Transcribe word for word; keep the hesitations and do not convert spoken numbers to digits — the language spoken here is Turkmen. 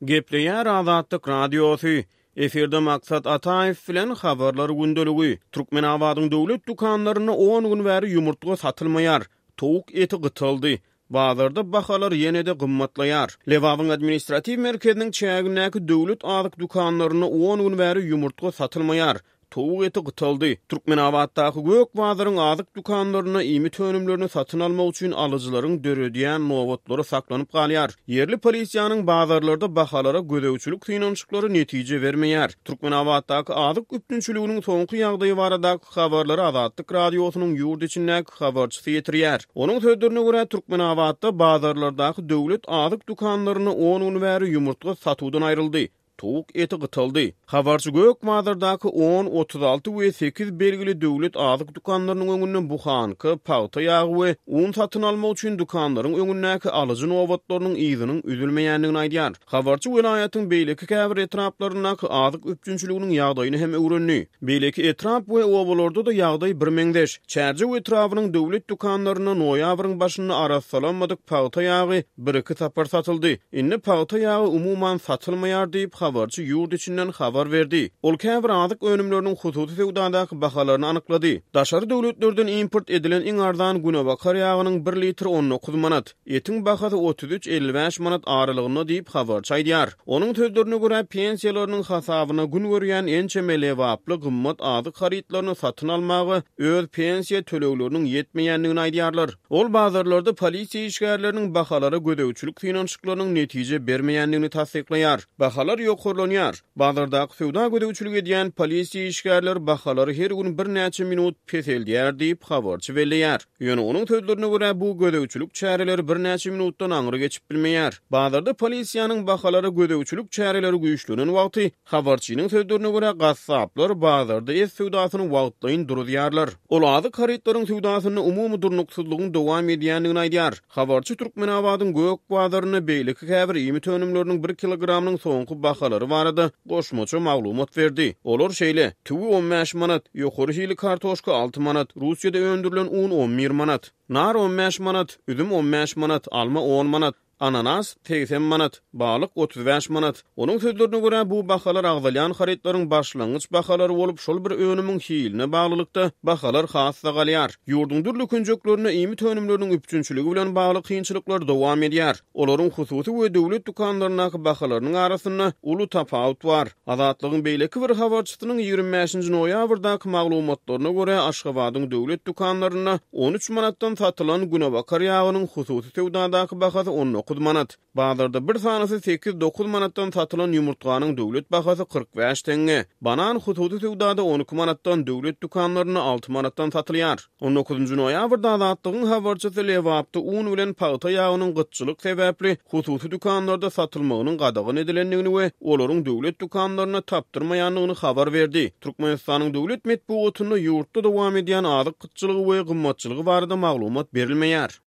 Gepleýär Azatlyk Radiosy, Efirde Maksat Ataýew bilen Habarlar gündeligi. Türkmenabadyň döwlet dükanlarynda on gün bäri ýumurtga satylmaýar. Towuk eti gytaldy. Bazarda bahalar ýene-de gymmatlaýar. Lebabyň administratiw merkeziniň çägindäki döwlet azyk dükanlarynda on gün bäri ýumurtga satylmaýar. Towuk eti gytaldy. Türkmenabatdaky Gök bazaryň azyk dükanlarynda iýmit önümlerini satyn almak üçin alyjylaryň döredýän nobatlary saklanyp galýar. Ýerli polisiýanyň bazarlarda bahalara gözegçilik synanyşyklary netije bermeýär. Türkmenabatdaky azyk üpjünçiliginiň soňky ýagdaýy baradaky habarlary Azatlyk Radiosynyň ýurt içindäki habarçysy ýetirýär. Onuň sözlerine görä, Türkmenabatda bazarlardaky döwlet azyk dükanlarynda on gün bäri ýumurtga satuwdan aýryldy. Towuk eti gytaldy. Habarçy Gök bazardaky on, otuz alty we sekiz belgili döwlet azyk dükanlarynyň öňünde buhanka, pagta ýagy we un satyn almak üçin dükanlaryň öňündäki alyjy nobatlarynyň yzynyň üzülmeýändigini aýdýar. Habarçy welaýatyň beýleki käbir etraplaryndaky azyk üpjünçiliginiň ýagdaýyny hem öwrendi. Beýleki etrap we obalarda-da ýagdaý birmeňzeş. Çärjew etrabynyň döwlet dükanlarynda noýabryň başynda arassalanmadyk pagta ýagy bir-iki sapar satyldy. Indi pagta ýagy umuman satylmaýar diýip, habarçy ýurt içinden habar berdi. Ol käbir azyk önümleriniň hususy söwdadaky bahalaryny anyklady. Daşary döwletlerden import edilen iň arzan günebakar ýagynyň bir litri on dokuz manat, etiň bahasy otuz üç elli bäş manat aralygynda diýip, habarçy aýdýar. Onuň sözlerine görä, pensiýalarynyň hasabyna gün görýän ençeme lebaply gymmat azyk harytlaryny satyn almaga öz pensiýa tölegleriniň ýetmeýändigini aýdýarlar. Ol bazarlarda polisiýa işgärleriniň bahalara gözegçilik synanyşyklarynyň netije bermeýändigini tassyklaýar. Bahalar ýokarlanýar. Bazardaky söwda gözegçilik edýän polisiýa işgärleri bahalary her gün birnäçe minut peseldýär diýip, habarçy belleýär. Ýöne onuň sözlerine görä, bu gözegçilik çäreleri birnäçe minutdan aňry geçip bilmeýär. Bazarda polisiýanyň bahalara gözegçilik çäreleri güýçlenen wagty, habarçynyň sözlerine görä, gassaplar bazarda et söwdasyny wagtlaýyn duruzýarlar. Ol azyk harytlaryň söwdasynda umumy durnuksyzlygyň dowam edýändigini aýdýar. Habarçy Türkmenabadyň Gök bazarynda beýleki käbir iýmit önümleriniň bir kilogramynyň soňky bahalary barada goşmaça maglumat berdi. Olar şeýle: tüwi on bäş manat, ýokary hili kartoşka alty manat, Russiýada öndürilen un on bir manat, nar on bäş manat, üzüm on bäş manat, alma on manat, ananas segsen manat, balyk otuz bäş manat. Onuň sözlerine görä, bu bahalar agzalýan harytlaryň başlangyç bahalary bolup, şol bir önümiň hiline baglylykda bahalar has-da galýar. Ýurduň dürli künjeklerinde iýmit önümleriniň üpjünçiligi bilen bagly kynçylyklar dowam edýär. Olaryň hususy we döwlet dükanlaryndaky bahalarynyň arasynda uly tapawut bar. Azatlygyň beýleki bir habarçysynyň ýigrimi bäşinji noýabrdaky maglumatlaryna görä, Aşgabadyň döwlet dükanlarynda on üç manatdan satylan günebakar ýagynyň hususy söwdadaky bahasy on dokuz manat. Bazarda bir sanysy sekiz dokuz manatdan satylan ýumurtganyň döwlet bahasy kyrk bäş teňňe. Banan hususy söwdada on iki manatdan, döwlet dükanlarynda alty manatdan satylýar. On dokuzynjy noýabrda Azatlygyň habarçysy Lebapda un bilen pagta ýagynyň gytçylyk sebäpli hususy dükanlarda satylmagynyň gadagan edilendigini we olaryň döwlet dükanlarynda tapdyrmaýandygyny habar berdi. Türkmenistanyň döwlet metbugatynda ýurtda dowam edýän azyk gytçylygy we gymmatçylygy barada maglumat berilmeýär.